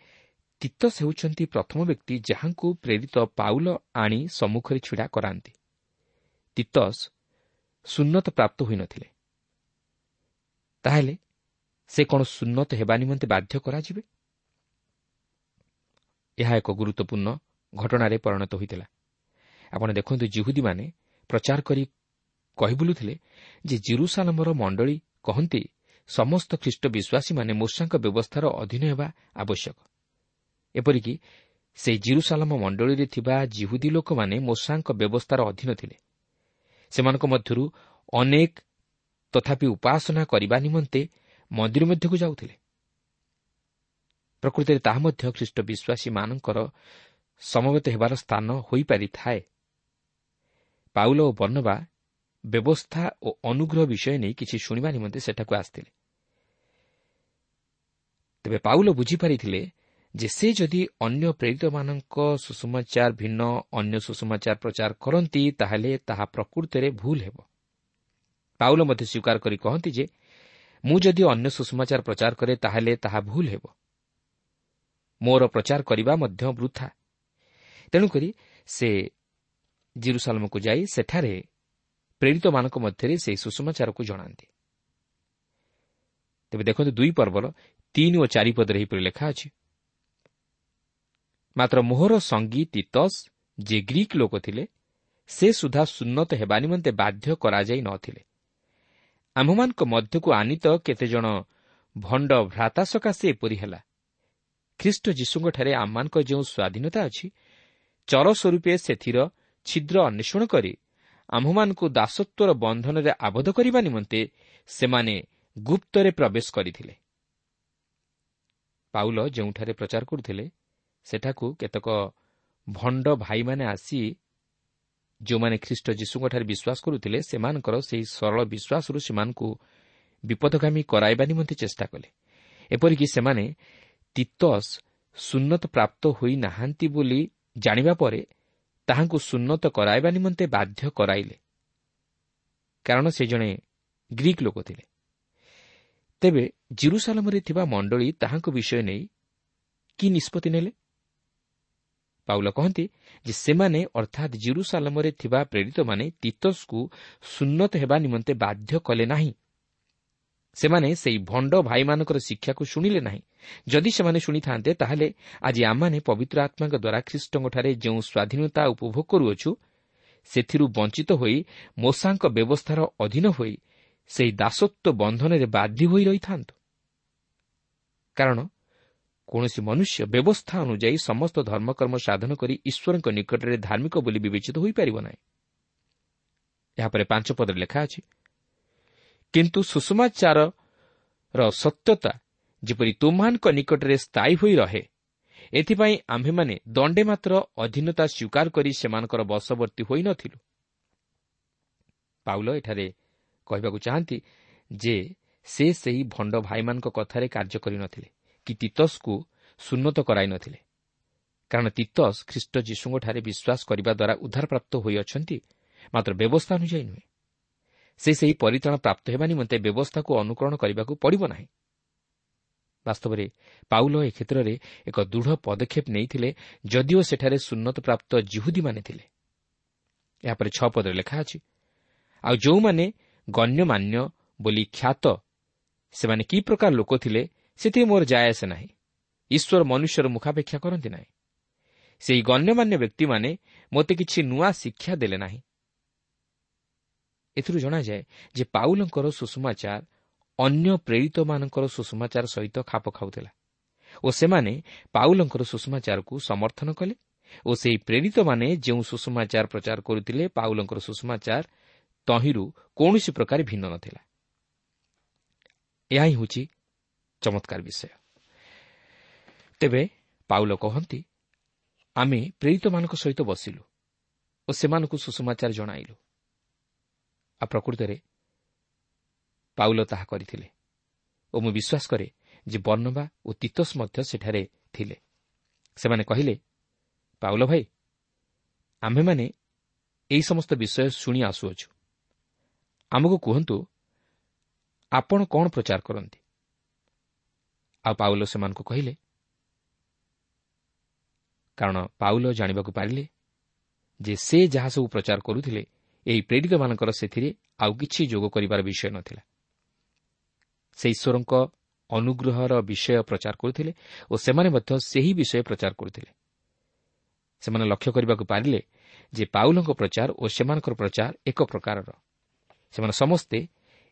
ତିତସ ହେଉଛନ୍ତି ପ୍ରଥମ ବ୍ୟକ୍ତି ଯାହାଙ୍କୁ ପ୍ରେରିତ ପାଉଲ ଆଣି ସମ୍ମୁଖରେ ଛିଡ଼ା କରାନ୍ତି। ତିତସ ସୁନ୍ନତ ପ୍ରାପ୍ତ ହୋଇନଥିଲେ, ତାହେଲେ ସେ କ'ଣ ସୁନ୍ନତ ହେବା ନିମନ୍ତେ ବାଧ୍ୟ କରାଯିବେ? ଏହା ଏକ ଗୁରୁତ୍ୱପୂର୍ଣ୍ଣ ଘଟଣାରେ ପରିଣତ ହୋଇଥିଲା। ଆପଣ ଦେଖନ୍ତୁ, ଜିହୁଦୀମାନେ ପ୍ରଚାର କରି କହି ବୁଲୁଥିଲେ ଯେ ଜିରୁସାଲମର ମଣ୍ଡଳୀ କହନ୍ତି ସମସ୍ତ ଖ୍ରୀଷ୍ଟ ବିଶ୍ୱାସୀମାନେ ମୋଶାଙ୍କ ବ୍ୟବସ୍ଥାର ଅଧୀନ ହେବା ଆବଶ୍ୟକ। ଏପରିକି ସେହି ଜିରୁସାଲମ ମଣ୍ଡଳୀରେ ଥିବା ଜିହୁଦୀ ଲୋକମାନେ ମୋଶାଙ୍କ ବ୍ୟବସ୍ଥାର ଅଧୀନ ଥିଲେ। ସେମାନଙ୍କ ମଧ୍ୟରୁ ଅନେକ ତଥାପି ଉପାସନା କରିବା ନିମନ୍ତେ ମନ୍ଦିର ମଧ୍ୟକୁ ଯାଉଥିଲେ। ପ୍ରକୃତରେ ତାହା ମଧ୍ୟ ଖ୍ରୀଷ୍ଟ ବିଶ୍ୱାସୀମାନଙ୍କର ସମବେତ ହେବାର ସ୍ଥାନ ହୋଇପାରିଥାଏ। ପାଉଲ ଓ ବର୍ଣ୍ଣବା ବ୍ୟବସ୍ଥା ଓ ଅନୁଗ୍ରହ ବିଷୟ ନେଇ କିଛି ଶୁଣିବା ନିମନ୍ତେ ସେଠାକୁ ଆସିଥିଲେ। ତେବେ ପାଉଲ ବୁଝିପାରିଥିଲେ ଯେ ସେ ଯଦି ଅନ୍ୟ ପ୍ରେରିତମାନଙ୍କ ସୁସମାଚାର ଭିନ୍ନ ଅନ୍ୟ ସୁସମାଚାର ପ୍ରଚାର କରନ୍ତି, ତାହେଲେ ତାହା ପ୍ରକୃତରେ ଭୁଲ ହେବ। ପାଉଲ ମଧ୍ୟ ସ୍ୱୀକାର କରି କହନ୍ତି ଯେ ମୁଁ ଯଦି ଅନ୍ୟ ସୁସମାଚାର ପ୍ରଚାର କରେ ତାହେଲେ ତାହା ଭୁଲ ହେବ, ମୋର ପ୍ରଚାର କରିବା ମଧ୍ୟ ବୃଥା। ତେଣୁକରି ସେ ଜିରୁସାଲମକୁ ଯାଇ ସେଠାରେ ପ୍ରେରିତମାନଙ୍କ ମଧ୍ୟରେ ସେହି ସୁସମାଚାରକୁ ଜଣାନ୍ତି। ତେବେ ଦେଖନ୍ତୁ, 2 ପର୍ବର 3 ଓ 4 ପଦରେ ଏହିପରି ଲେଖା ଅଛି, ମାତ୍ର ମୋହର ସଙ୍ଗୀ ତିତସ ଯେ ଗ୍ରୀକ୍ ଲୋକ ଥିଲେ, ସେ ସୁଦ୍ଧା ସୁନ୍ନତ ହେବା ନିମନ୍ତେ ବାଧ୍ୟ କରାଯାଇ ନଥିଲେ। ଆମ୍ଭମାନଙ୍କ ମଧ୍ୟକୁ ଆନିତ କେତେଜଣ ଭଣ୍ଡ ଭ୍ରାତା ସକାଶେ ଏପରି ହେଲା। ଖ୍ରୀଷ୍ଟ ଯୀଶୁଙ୍କଠାରେ ଆମମାନଙ୍କର ଯେଉଁ ସ୍ୱାଧୀନତା ଅଛି, ଚର ସ୍ୱରୂପେ ସେଥିର ଛିଦ୍ର ଅନ୍ୱେଷଣ କରି ଆମ୍ଭମାନଙ୍କୁ ଦାସତ୍ୱର ବନ୍ଧନରେ ଆବଦ୍ଧ କରିବା ନିମନ୍ତେ ସେମାନେ ଗୁପ୍ତରେ ପ୍ରବେଶ କରିଥିଲେ। ପାଉଲ ଯେଉଁଠାରେ ପ୍ରଚାର କରୁଥିଲେ ସେଠାକୁ କେତେକ ଭଣ୍ଡ ଭାଇମାନେ ଆସି ଯେଉଁମାନେ ଖ୍ରୀଷ୍ଟ ଯୀଶୁଙ୍କଠାରେ ବିଶ୍ୱାସ କରୁଥିଲେ ସେମାନଙ୍କର ସେହି ସରଳ ବିଶ୍ୱାସରୁ ସେମାନଙ୍କୁ ବିପଦଗାମୀ କରାଇବା ନିମନ୍ତେ ଚେଷ୍ଟା କଲେ। ଏପରିକି ସେମାନେ ତିତସ ସୁନ୍ନତ ପ୍ରାପ୍ତ ହୋଇନାହାନ୍ତି ବୋଲି ଜାଣିବା ପରେ ତାହାଙ୍କୁ ସୁନ୍ନତ କରାଇବା ନିମନ୍ତେ ବାଧ୍ୟ କରାଇଲେ, କାରଣ ସେ ଜଣେ ଗ୍ରୀକ୍ ଲୋକ ଥିଲେ। ତେବେ ଜିରୁସାଲମରେ ଥିବା ମଣ୍ଡଳୀ ତାହାଙ୍କ ବିଷୟ ନେଇ କି ନିଷ୍ପତ୍ତି ନେଲେ? ପାଉଲ କହନ୍ତି ଯେ ସେମାନେ ଅର୍ଥାତ୍ ଜିରୁସାଲମରେ ଥିବା ପ୍ରେରିତମାନେ ତିତସକୁ ସୁନ୍ନତ ହେବା ନିମନ୍ତେ ବାଧ୍ୟ କଲେ ନାହିଁ। ସେମାନେ ସେହି ଭଣ୍ଡ ଭାଇମାନଙ୍କର ଶିକ୍ଷାକୁ ଶୁଣିଲେ ନାହିଁ। ଯଦି ସେମାନେ ଶୁଣିଥାନ୍ତେ ତାହେଲେ ଆଜି ଆମମାନେ ପବିତ୍ର ଆତ୍ମାଙ୍କ ଦ୍ୱାରା ଖ୍ରୀଷ୍ଟଙ୍କଠାରେ ଯେଉଁ ସ୍ୱାଧୀନତା ଉପଭୋଗ କରୁଅଛୁ ସେଥିରୁ ବଞ୍ଚିତ ହୋଇ ମୋଶାଙ୍କ ବ୍ୟବସ୍ଥାର ଅଧୀନ ହୋଇ ସେହି ଦାସତ୍ୱ ବନ୍ଧନରେ ବାଧ୍ୟ ହୋଇ ରହିଥାନ୍ତୁ। କାରଣ କୌଣସି ମନୁଷ୍ୟ ବ୍ୟବସ୍ଥା ଅନୁଯାୟୀ ସମସ୍ତ ଧର୍ମକର୍ମ ସାଧନ କରି ଈଶ୍ୱରଙ୍କ ନିକଟରେ ଧାର୍ମିକ ବୋଲି ବିବେଚିତ ହୋଇପାରିବ ନାହିଁ। ଏହାପରେ 5 ପଦରେ ଲେଖା ଅଛି, କିନ୍ତୁ ସୁସମାଚାରର ସତ୍ୟତା ଯେପରି ତୁମ୍ଭମାନଙ୍କ ନିକଟରେ ସ୍ଥାୟୀ ହୋଇ ରହେ, ଏଥିପାଇଁ ଆମ୍ଭେମାନେ ଦଣ୍ଡେ ମାତ୍ର ଅଧୀନତା ସ୍ୱୀକାର କରି ସେମାନଙ୍କର ବଶବର୍ତ୍ତୀ ହୋଇନଥିଲୁ। ପାଉଲ ଏଠାରେ କହିବାକୁ ଚାହାନ୍ତି ଯେ ସେ ସେହି ଭଣ୍ଡ ଭାଇମାନଙ୍କ କଥାରେ କାର୍ଯ୍ୟ କରିନଥିଲେ କି ତିତସକୁ ସୁନ୍ନତ କରାଇନଥିଲେ, କାରଣ ତିତସ ଖ୍ରୀଷ୍ଟ ଯୀଶୁଙ୍କଠାରେ ବିଶ୍ୱାସ କରିବା ଦ୍ୱାରା ଉଦ୍ଧାରପ୍ରାପ୍ତ ହୋଇଅଛନ୍ତି, ମାତ୍ର ବ୍ୟବସ୍ଥା ଅନୁଯାୟୀ ନୁହେଁ। ସେ ସେହି ପରିତ୍ରାଣ ପ୍ରାପ୍ତ ହେବା ନିମନ୍ତେ ବ୍ୟବସ୍ଥାକୁ ଅନୁକରଣ କରିବାକୁ ପଡ଼ିବ ନାହିଁ। ବାସ୍ତବରେ ପାଉଲ ଏ କ୍ଷେତ୍ରରେ ଏକ ଦୃଢ଼ ପଦକ୍ଷେପ ନେଇଥିଲେ, ଯଦିଓ ସେଠାରେ ସୁନ୍ନତ ପ୍ରାପ୍ତ ଜିହୁଦୀମାନେ ଥିଲେ। ଏହାପରେ 6 ପଦରେ ଲେଖା ଅଛି, ଆଉ ଯେଉଁମାନେ ଗଣ୍ୟମାନ୍ୟ ବୋଲି ଖ୍ୟାତ ସେମାନେ କି ପ୍ରକାର ଲୋକ ଥିଲେ ସେଥିରେ ମୋର ଯାଏ ଆସେ ନାହିଁ। ଈଶ୍ୱର ମନୁଷ୍ୟର ମୁଖାପେକ୍ଷା କରନ୍ତି ନାହିଁ। ସେହି ଗଣ୍ୟମାନ୍ୟ ବ୍ୟକ୍ତିମାନେ ମୋତେ କିଛି ନୂଆ ଶିକ୍ଷା ଦେଲେ ନାହିଁ। ଏଥିରୁ ଜଣାଯାଏ ଯେ ପାଉଲଙ୍କର ସୁଷମାଚାର ଅନ୍ୟ ପ୍ରେରିତମାନଙ୍କର ସୁଷମାଚାର ସହିତ ଖାପ ଖାଉଥିଲା ଓ ସେମାନେ ପାଉଲଙ୍କର ସୁଷମାଚାରକୁ ସମର୍ଥନ କଲେ ଓ ସେହି ପ୍ରେରିତମାନେ ଯେଉଁ ସୁଷମାଚାର ପ୍ରଚାର କରୁଥିଲେ ପାଉଲଙ୍କର ସୁଷମାଚାର ତହିଁରୁ କୌଣସି ପ୍ରକାର ଭିନ୍ନ ନଥିଲା। ଏହା ହିଁ ହେଉଛି ଚମତ୍କାର ବିଷୟ। ତେବେ ପାଉଲ କହନ୍ତି, ଆମେ ପ୍ରେରିତମାନଙ୍କ ସହିତ ବସିଲୁ ଓ ସେମାନଙ୍କୁ ସୁଷମାଚାର ଜଣାଇଲୁ। ଆଉ ପ୍ରକୃତରେ ପାଉଲ ତାହା କରିଥିଲେ ଓ ମୁଁ ବିଶ୍ୱାସ କରେ ଯେ ବର୍ଣ୍ଣବା ଓ ତୀତସ୍ ମଧ୍ୟ ସେଠାରେ ଥିଲେ। ସେମାନେ କହିଲେ, ପାଉଲ ଭାଇ, ଆମ୍ଭେମାନେ ଏହି ସମସ୍ତ ବିଷୟ ଶୁଣି ଆସୁଅଛୁ, ଆମକୁ କୁହନ୍ତୁ ଆପଣ କ'ଣ ପ୍ରଚାର କରନ୍ତି? ଆଉ ପାଉଲ ସେମାନଙ୍କୁ କହିଲେ, କାରଣ ପାଉଲ ଜାଣିବାକୁ ପାରିଲେ ଯେ ସେ ଯାହା ସବୁ ପ୍ରଚାର କରୁଥିଲେ ଏହି ପ୍ରେରିତମାନଙ୍କର ସେଥିରେ ଆଉ କିଛି ଯୋଗ କରିବାର ବିଷୟ ନଥିଲା। ସେ ଈଶ୍ୱରଙ୍କ ଅନୁଗ୍ରହର ବିଷୟ ପ୍ରଚାର କରୁଥିଲେ ଓ ସେମାନେ ମଧ୍ୟ ସେହି ବିଷୟ ପ୍ରଚାର କରୁଥିଲେ। ସେମାନେ ଲକ୍ଷ୍ୟ କରିବାକୁ ପାରିଲେ ଯେ ପାଉଲଙ୍କ ପ୍ରଚାର ଓ ସେମାନଙ୍କର ପ୍ରଚାର ଏକ ପ୍ରକାରର। ସେମାନେ ସମସ୍ତେ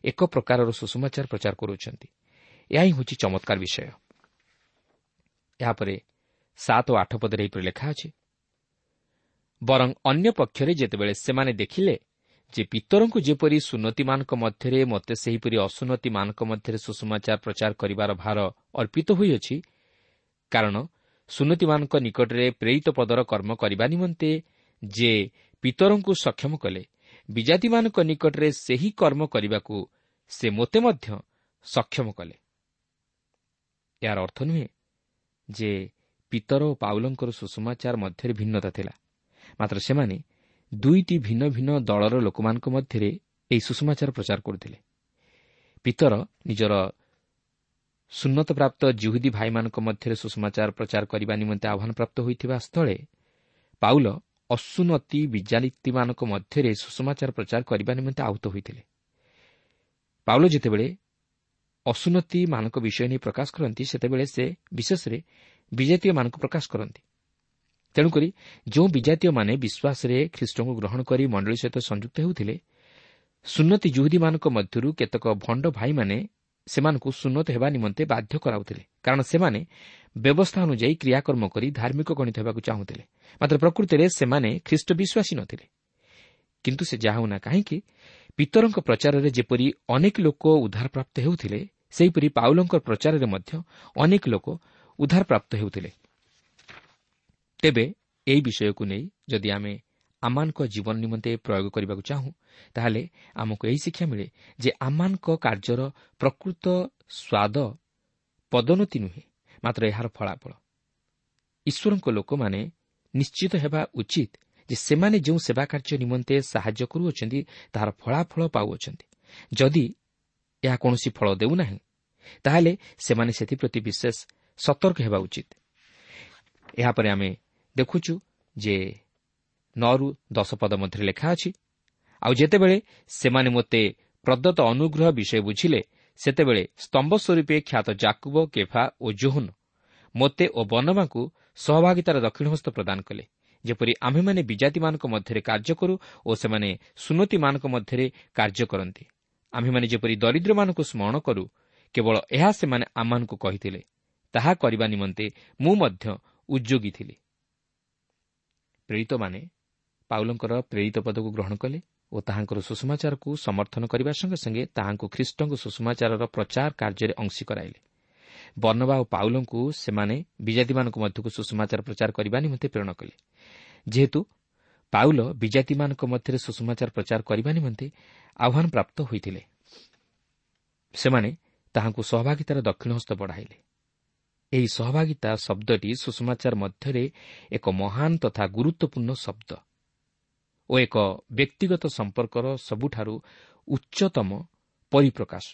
ଏକ ପ୍ରକାରର ସୁସମାଚାର ପ୍ରଚାର କରୁଅଛନ୍ତି। ଏହା ହିଁ ହେଉଛି ଚମତ୍କାର ବିଷୟ। ଏହାପରେ 7 ଓ 8 ପଦରେ ଏହିପରି ଲେଖା ଅଛି, ବରଂ ଅନ୍ୟ ପକ୍ଷରେ ଯେତେବେଳେ ସେମାନେ ଦେଖିଲେ ଯେ ପିତରଙ୍କୁ ଯେପରି ସୁନ୍ନତିମାନଙ୍କ ମଧ୍ୟରେ ମୋତେ ସେହିପରି ଅସୁନ୍ନତିମାନଙ୍କ ମଧ୍ୟରେ ସୁସମାଚାର ପ୍ରଚାର କରିବାର ଭାର ଅର୍ପିତ ହୋଇଅଛି, କାରଣ ସୁନ୍ନତିମାନଙ୍କ ନିକଟରେ ପ୍ରେରିତ ପଦର କର୍ମ କରିବା ନିମନ୍ତେ ଯେ ପିତରଙ୍କୁ ସକ୍ଷମ କଲେ, ବିଜାତିମାନଙ୍କ ନିକଟରେ ସେହି କର୍ମ କରିବାକୁ ସେ ମୋତେ ମଧ୍ୟ ସକ୍ଷମ କଲେ। ଏହାର ଅର୍ଥ ନୁହେଁ ଯେ ପିତର ଓ ପାଉଲଙ୍କର ସୁସମାଚାର ମଧ୍ୟରେ ଭିନ୍ନତା ଥିଲା, ମାତ୍ର ସେମାନେ ଦୁଇଟି ଭିନ୍ନ ଭିନ୍ନ ଦଳର ଲୋକମାନଙ୍କ ମଧ୍ୟରେ ଏହି ସୁସମାଚାର ପ୍ରଚାର କରୁଥିଲେ। ପିତର ନିଜର ସୁନ୍ନତପ୍ରାପ୍ତ ଜିହୁଦୀ ଭାଇମାନଙ୍କ ମଧ୍ୟରେ ସୁସମାଚାର ପ୍ରଚାର କରିବା ନିମନ୍ତେ ଆହ୍ୱାନପ୍ରାପ୍ତ ହୋଇଥିବା ସ୍ଥଳେ ପାଉଲ ଅସୁନ୍ନତି ବିଜାତିମାନଙ୍କ ମଧ୍ୟରେ ସୁସମାଚାର ପ୍ରଚାର କରିବା ନିମନ୍ତେ ଆହୁତ ହୋଇଥିଲେ। ପାଉଲ ଯେତେବେଳେ ଅସୁନ୍ନତିମାନଙ୍କ ବିଷୟ ନେଇ ପ୍ରକାଶ କରନ୍ତି, ସେତେବେଳେ ସେ ବିଶେଷରେ ବିଜାତୀୟମାନଙ୍କୁ ପ୍ରକାଶ କରନ୍ତି। ତେଣୁକରି ଯେଉଁ ବିଜାତୀୟମାନେ ବିଶ୍ୱାସରେ ଖ୍ରୀଷ୍ଟଙ୍କୁ ଗ୍ରହଣ କରି ମଣ୍ଡଳୀ ସହିତ ସଂଯୁକ୍ତ ହେଉଥିଲେ, ସୁନ୍ନତି ଜୁହୁଦୀମାନଙ୍କ ମଧ୍ୟରୁ କେତେକ ଭଣ୍ଡ ଭାଇମାନେ ସେମାନଙ୍କୁ ସୁନ୍ନତ ହେବା ନିମନ୍ତେ ବାଧ୍ୟ କରାଉଥିଲେ, କାରଣ ସେମାନେ ବ୍ୟବସ୍ଥା ଅନୁଯାୟୀ କ୍ରିୟାକର୍ମ କରି ଧାର୍ମିକ ଗଣିତ ହେବାକୁ ଚାହୁଁଥିଲେ। ମାତ୍ର ପ୍ରକୃତିରେ ସେମାନେ ଖ୍ରୀଷ୍ଟ ବିଶ୍ୱାସୀ ନଥିଲେ। କିନ୍ତୁ ସେ ଯାହା ହେଉନା କାହିଁକି, ପିତରଙ୍କ ପ୍ରଚାରରେ ଯେପରି ଅନେକ ଲୋକ ଉଦ୍ଧାରପ୍ରାପ୍ତ ହେଉଥିଲେ, ସେହିପରି ପାଉଲଙ୍କ ପ୍ରଚାରରେ ମଧ୍ୟ ଅନେକ ଲୋକ ଉଦ୍ଧାରପ୍ରାପ୍ତ ହେଉଥିଲେ। ତେବେ ଏହି ବିଷୟକୁ ନେଇ ଯଦି ଆମେ ଆମମାନଙ୍କ ଜୀବନ ନିମନ୍ତେ ପ୍ରୟୋଗ କରିବାକୁ ଚାହୁଁ, ତାହେଲେ ଆମକୁ ଏହି ଶିକ୍ଷା ମିଳେ ଯେ ଆମମାନଙ୍କ କାର୍ଯ୍ୟର ପ୍ରକୃତ ସ୍ୱାଦ ପଦୋନ୍ନତି ନୁହେଁ, ମାତ୍ର ଏହାର ଫଳାଫଳ। ଈଶ୍ୱରଙ୍କ ଲୋକମାନେ ନିଶ୍ଚିତ ହେବା ଉଚିତ ଯେ ସେମାନେ ଯେଉଁ ସେବା କାର୍ଯ୍ୟ ନିମନ୍ତେ ସାହାଯ୍ୟ କରୁଅଛନ୍ତି, ତାହାର ଫଳାଫଳ ପାଉଅଛନ୍ତି। ଯଦି ଏହା କୌଣସି ଫଳ ଦେଉନାହିଁ, ତାହେଲେ ସେମାନେ ସେଥିପ୍ରତି ବିଶେଷ ସତର୍କ ହେବା ଉଚିତ। ଏହାପରେ ଆମେ ଦେଖୁଛୁ ଯେ 9ରୁ 10 ପଦ ମଧ୍ୟରେ ଲେଖା ଅଛି, ଆଉ ଯେତେବେଳେ ସେମାନେ ମୋତେ ପ୍ରଦତ୍ତ ଅନୁଗ୍ରହ ବିଷୟ ବୁଝିଲେ, ସେତେବେଳେ ସ୍ତମ୍ଭ ସ୍ୱରୂପେ ଖ୍ୟାତ ଜାକୁବ, କେଫା ଓ ଯୋହନ ମୋତେ ଓ ବର୍ଣ୍ଣବାଙ୍କୁ ସହଭାଗିତାର ଦକ୍ଷିଣ ହସ୍ତ ପ୍ରଦାନ କଲେ, ଯେପରି ଆମ୍ଭେମାନେ ବିଜାତିମାନଙ୍କ ମଧ୍ୟରେ କାର୍ଯ୍ୟ କରୁ ଓ ସେମାନେ ସୁନ୍ନତିମାନଙ୍କ ମଧ୍ୟରେ କାର୍ଯ୍ୟ କରନ୍ତି। ଆମ୍ଭେମାନେ ଯେପରି ଦରିଦ୍ରମାନଙ୍କୁ ସ୍ମରଣ କରୁ, କେବଳ ଏହା ସେମାନେ ଆମମାନଙ୍କୁ କହିଥିଲେ। ତାହା କରିବା ନିମନ୍ତେ ମୁଁ ମଧ୍ୟ ଉଦ୍ଯୋଗୀ ଥିଲି। ପ୍ରେରିତମାନେ ପାଉଲଙ୍କର ପ୍ରେରିତ ପଦକୁ ଗ୍ରହଣ କଲେ ଓ ତାହାଙ୍କର ସୁସମାଚାରକୁ ସମର୍ଥନ କରିବା ସଙ୍ଗେ ସଙ୍ଗେ ତାହାଙ୍କୁ ଖ୍ରୀଷ୍ଟଙ୍କ ସୁସମାଚାରର ପ୍ରଚାର କାର୍ଯ୍ୟରେ ଅଂଶୀ କରାଇଲେ। ବର୍ଣ୍ଣବା ଓ ପାଉଲଙ୍କୁ ସେମାନେ ବିଜାତିମାନଙ୍କ ମଧ୍ୟକୁ ସୁସମାଚାର ପ୍ରଚାର କରିବା ନିମନ୍ତେ ପ୍ରେରଣ କଲେ। ଯେହେତୁ ପାଉଲ ବିଜାତିମାନଙ୍କ ମଧ୍ୟରେ ସୁସମାଚାର ପ୍ରଚାର କରିବା ନିମନ୍ତେ ଆହ୍ୱାନପ୍ରାପ୍ତ ହୋଇଥିଲେ, ସେମାନେ ତାହାଙ୍କୁ ସହଭାଗିତାର ଦକ୍ଷିଣ ହସ୍ତ ବଢ଼ାଇଲେ। ଏହି ସହଭାଗିତା ଶବ୍ଦଟି ସୁସମାଚାର ମଧ୍ୟରେ ଏକ ମହାନ ତଥା ଗୁରୁତ୍ୱପୂର୍ଣ୍ଣ ଶବ୍ଦ ଓ ଓ ଏକ ବ୍ୟକ୍ତିଗତ ସମ୍ପର୍କର ସବୁଠାରୁ ଉଚ୍ଚତମ ପରିପ୍ରକାଶ।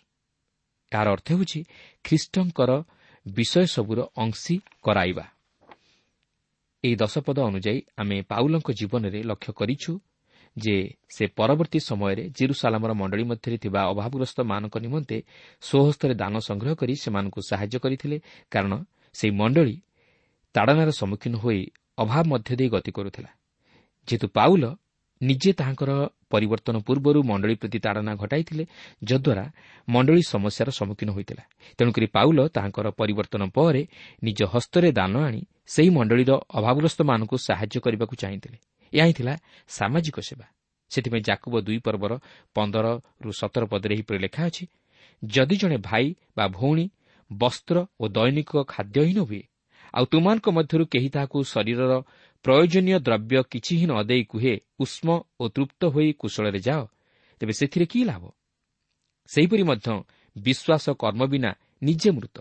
ଏହାର ଅର୍ଥ ହେଉଛି ଖ୍ରୀଷ୍ଟଙ୍କର ବିଷୟସବୁର ଅଂଶୀ କରାଇବା। ଏହି 10 ପଦ ଅନୁଯାୟୀ ଆମେ ପାଉଲଙ୍କ ଜୀବନରେ ଲକ୍ଷ୍ୟ କରିଛୁ ଯେ ସେ ପରବର୍ତ୍ତୀ ସମୟରେ ଜିରୁସାଲାମର ମଣ୍ଡଳୀ ମଧ୍ୟରେ ଥିବା ଅଭାବଗ୍ରସ୍ତମାନଙ୍କ ନିମନ୍ତେ ସ୍ୱହସ୍ତରେ ଦାନ ସଂଗ୍ରହ କରି ସେମାନଙ୍କୁ ସାହାଯ୍ୟ କରିଥିଲେ, କାରଣ ସେହି ମଣ୍ଡଳୀ ତାଡ଼ନାର ସମ୍ମୁଖୀନ ହୋଇ ଅଭାବ ମଧ୍ୟ ଦେଇ ଗତି କରୁଥିଲା। ଯେହେତୁ ପାଉଲ ନିଜେ ତାହାଙ୍କର ପରିବର୍ତ୍ତନ ପୂର୍ବରୁ ମଣ୍ଡଳୀ ପ୍ରତି ତାଡ଼ନା ଘଟାଇଥିଲେ, ଯଦ୍ୱାରା ମଣ୍ଡଳୀ ସମସ୍ୟାର ସମ୍ମୁଖୀନ ହୋଇଥିଲା। ତେଣୁକରି ପାଉଲ ତାହାଙ୍କର ପରିବର୍ତ୍ତନ ପରେ ନିଜ ହସ୍ତରେ ଦାନ ଆଣି ସେହି ମଣ୍ଡଳୀର ଅଭାବଗ୍ରସ୍ତମାନଙ୍କୁ ସାହାଯ୍ୟ କରିବାକୁ ଚାହିଁଥିଲେ। ଏହା ହିଁ ଥିଲା ସାମାଜିକ ସେବା। ସେଥିପାଇଁ ଯାକୁବ 2 ପର୍ବର 15-17 ପଦରେ ଏହିପରି ଲେଖା ଅଛି, ଯଦି ଜଣେ ଭାଇ ବା ଭଉଣୀ ବସ୍ତ୍ର ଓ ଦୈନିକ ଖାଦ୍ୟହୀନ ହୁଏ, ଆଉ ତୁମମାନଙ୍କ ମଧ୍ୟରୁ କେହି ତାହାକୁ ଶରୀରର ପ୍ରୟୋଜନୀୟ ଦ୍ରବ୍ୟ କିଛି ହିଁ ନ ଦେଇ କୁହେ, ଉଷ୍ମ ଓ ତୃପ୍ତ ହୋଇ କୁଶଳରେ ଯାଅ, ତେବେ ସେଥିରେ କି ଲାଭ? ସେହିପରି ମଧ୍ୟ ବିଶ୍ୱାସ କର୍ମ ବିନା ନିଜେ ମୃତ।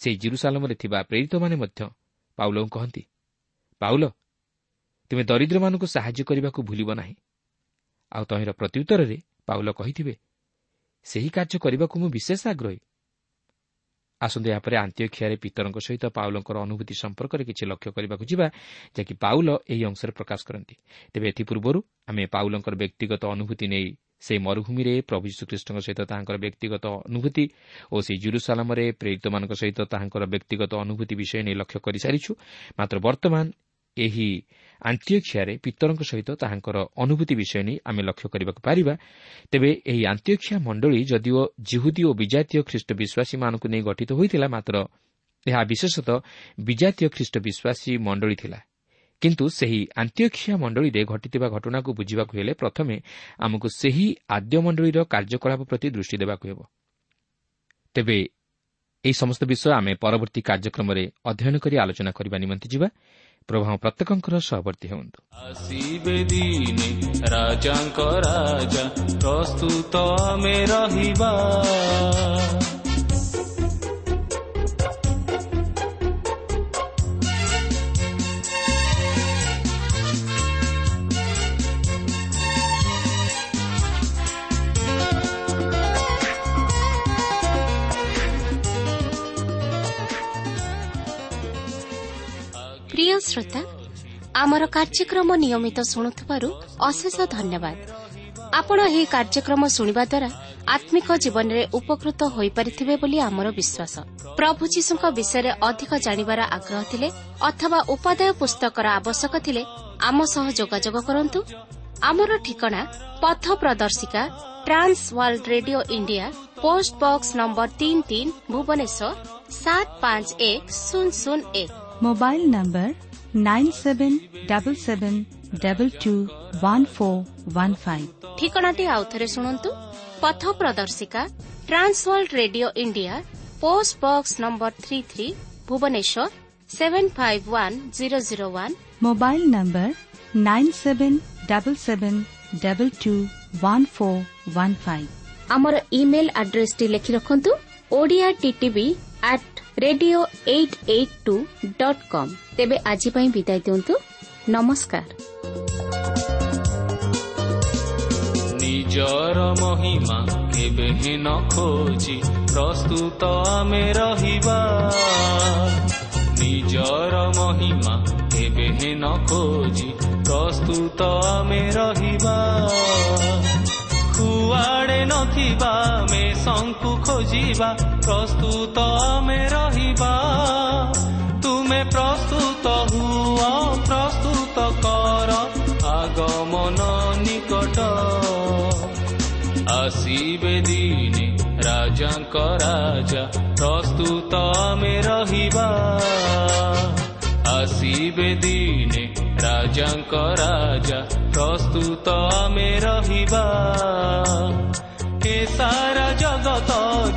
ସେହି ଜିରୁସାଲମରେ ଥିବା ପ୍ରେରିତମାନେ ମଧ୍ୟ ପାଉଲଙ୍କୁ କହନ୍ତି, ପାଉଲ, ତୁମେ ଦରିଦ୍ରମାନଙ୍କୁ ସାହାଯ୍ୟ କରିବାକୁ ଭୁଲିବ ନାହିଁ। ଆଉ ତହିଁର ପ୍ରତ୍ୟୁତ୍ତରରେ ପାଉଲ କହିଥିବେ, ସେହି କାର୍ଯ୍ୟ କରିବାକୁ ମୁଁ ବିଶେଷ ଆଗ୍ରହୀ। ଆସନ୍ତୁ ଏହାପରେ ଆନ୍ତିଓଖିଆରେ ପିତରଙ୍କ ସହିତ ପାଉଲଙ୍କର ଅନୁଭୂତି ସମ୍ପର୍କରେ କିଛି ଲକ୍ଷ୍ୟ କରିବାକୁ ଯିବା, ଯାହାକି ପାଉଲ ଏହି ଅଂଶରେ ପ୍ରକାଶ କରନ୍ତି। ତେବେ ଏଥିପୂର୍ବରୁ ଆମେ ପାଉଲଙ୍କର ବ୍ୟକ୍ତିଗତ ଅନୁଭୂତି ନେଇ ସେହି ମରୁଭୂମିରେ ପ୍ରଭୁ ଯୀଶୁଖ୍ରୀଷ୍ଟଙ୍କ ସହିତ ତାହାଙ୍କର ବ୍ୟକ୍ତିଗତ ଅନୁଭୂତି ଓ ସେହି ଜେରୁସାଲେମରେ ପ୍ରେରିତମାନଙ୍କ ସହିତ ତାହାଙ୍କର ବ୍ୟକ୍ତିଗତ ଅନୁଭୂତି ବିଷୟ ନେଇ ଲକ୍ଷ୍ୟ କରିସାରିଛୁ। ମାତ୍ର ବର୍ତ୍ତମାନ ଏହି ଆନ୍ତିଓଖିଆରେ ପିତରଙ୍କ ସହିତ ତାହାଙ୍କର ଅନୁଭୂତି ବିଷୟ ନେଇ ଆମେ ଲକ୍ଷ୍ୟ କରିବାକୁ ପାରିବା। ତେବେ ଏହି ଆନ୍ତିଓଖିଆ ମଣ୍ଡଳୀ ଯଦିଓ ଜିହୁଦୀ ଓ ବିଜାତୀୟ ଖ୍ରୀଷ୍ଟ ବିଶ୍ୱାସୀମାନଙ୍କୁ ନେଇ ଗଠିତ ହୋଇଥିଲା, ମାତ୍ର ଏହା ବିଶେଷତଃ ବିଜାତୀୟ ଖ୍ରୀଷ୍ଟ ବିଶ୍ୱାସୀ ମଣ୍ଡଳୀ ଥିଲା। କିନ୍ତୁ ସେହି ଆନ୍ତିଓଖିଆ ମଣ୍ଡଳୀରେ ଘଟିଥିବା ଘଟଣାକୁ ବୁଝିବାକୁ ହେଲେ ପ୍ରଥମେ ଆମକୁ ସେହି ଆଦ୍ୟ ମଣ୍ଡଳୀର କାର୍ଯ୍ୟକଳାପ ପ୍ରତି ଦୃଷ୍ଟି ଦେବାକୁ ହେବ। ତେବେ ଏହି ସମସ୍ତ ବିଷୟ ଆମେ ପରବର୍ତ୍ତୀ କାର୍ଯ୍ୟକ୍ରମରେ ଅଧ୍ୟୟନ କରି ଆଲୋଚନା କରିବା ନିମନ୍ତେ ଯିବା। ପ୍ରଭୁ ପ୍ରତ୍ୟେକଙ୍କର ସହବର୍ତ୍ତୀ ହୁଅନ୍ତୁ। ଆସିବେ ଦିନେ ରାଜାଙ୍କ ରାଜା, ପ୍ରସ୍ତୁତ ଆମେ ରହିବା। ପ୍ରିୟ ଶ୍ରୋତା, ଆମର କାର୍ଯ୍ୟକ୍ରମ ନିୟମିତ ଶୁଣୁଥିବାରୁ ଅଶେଷ ଧନ୍ୟବାଦ। ଆପଣ ଏହି କାର୍ଯ୍ୟକ୍ରମ ଶୁଣିବା ଦ୍ୱାରା ଆତ୍ମିକ ଜୀବନରେ ଉପକୃତ ହୋଇପାରିଥିବେ ବୋଲି ଆମର ବିଶ୍ୱାସ। ପ୍ରଭୁ ଯୀଶୁଙ୍କ ବିଷୟରେ ଅଧିକ ଜାଣିବାର ଆଗ୍ରହ ଥିଲେ ଅଥବା ଉପାଦେୟ ପୁସ୍ତକର ଆବଶ୍ୟକ ଥିଲେ ଆମ ସହ ଯୋଗାଯୋଗ କରନ୍ତୁ। ଆମର ଠିକଣା ପଥ ପ୍ରଦର୍ଶିକା, Trans World Radio India, post box number 33, Bhubaneswar 751001। Mobile number 9777221415। ଠିକଣାଟି ଆଉଥରେ ଶୁଣନ୍ତୁ। ପଥ ପ୍ରଦର୍ଶିକା, Trans World Radio India, post box number 33, Bhubaneswar 751001। Mobile number 9777221415। ଆମର ଇମେଲ୍ ଆଡ୍ରେସଟି ଲେଖି ରଖନ୍ତୁ, Odia TTV at radio882.com। ତେବେ ଆଜି ପାଇଁ ବିଦାୟ ଦିଅନ୍ତୁ। ନମସ୍କାର। ନିଜର ମହିମା କେବେ ନ ଖୋଜି ପ୍ରସ୍ତୁତ ଆମେ ରହିବା। ନିଜର ମହିମା କେବେ ନ ଖୋଜି ପ୍ରସ୍ତୁତ ଆମେ ରହିବା। କୁଆଡ଼େ ନଥିବା ମେଷଙ୍କୁ ଖୋଜିବା, ପ୍ରସ୍ତୁତ ଆମେ ରହିବା। ତୁମେ ପ୍ରସ୍ତୁତ ହୁଅ, ପ୍ରସ୍ତୁତ କର, ଆଗମନ ନିକଟ। ଆସିବେ ଦିନେ ରାଜାଙ୍କ ରାଜା, ପ୍ରସ୍ତୁତ ଆମେ ରହିବା। ଆସିବେ ଦିନେ ରାଜାଙ୍କ ରାଜା, ପ୍ରସ୍ତୁତ ଆମେ ରହିବା। ଏ ସାରା ଜଗତ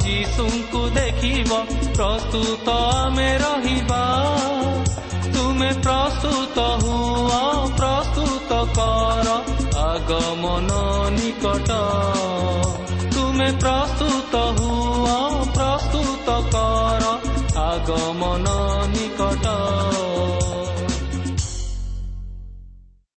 ଯୀଶୁଙ୍କୁ ଦେଖିବ, ପ୍ରସ୍ତୁତ ଆମେ ରହିବା। ତୁମେ ପ୍ରସ୍ତୁତ ହୁଅ, ପ୍ରସ୍ତୁତ କର, ଆଗମନ ନିକଟ। ତୁମେ ପ୍ରସ୍ତୁତ ହୁଅ, ପ୍ରସ୍ତୁତ କର, ଆଗମନ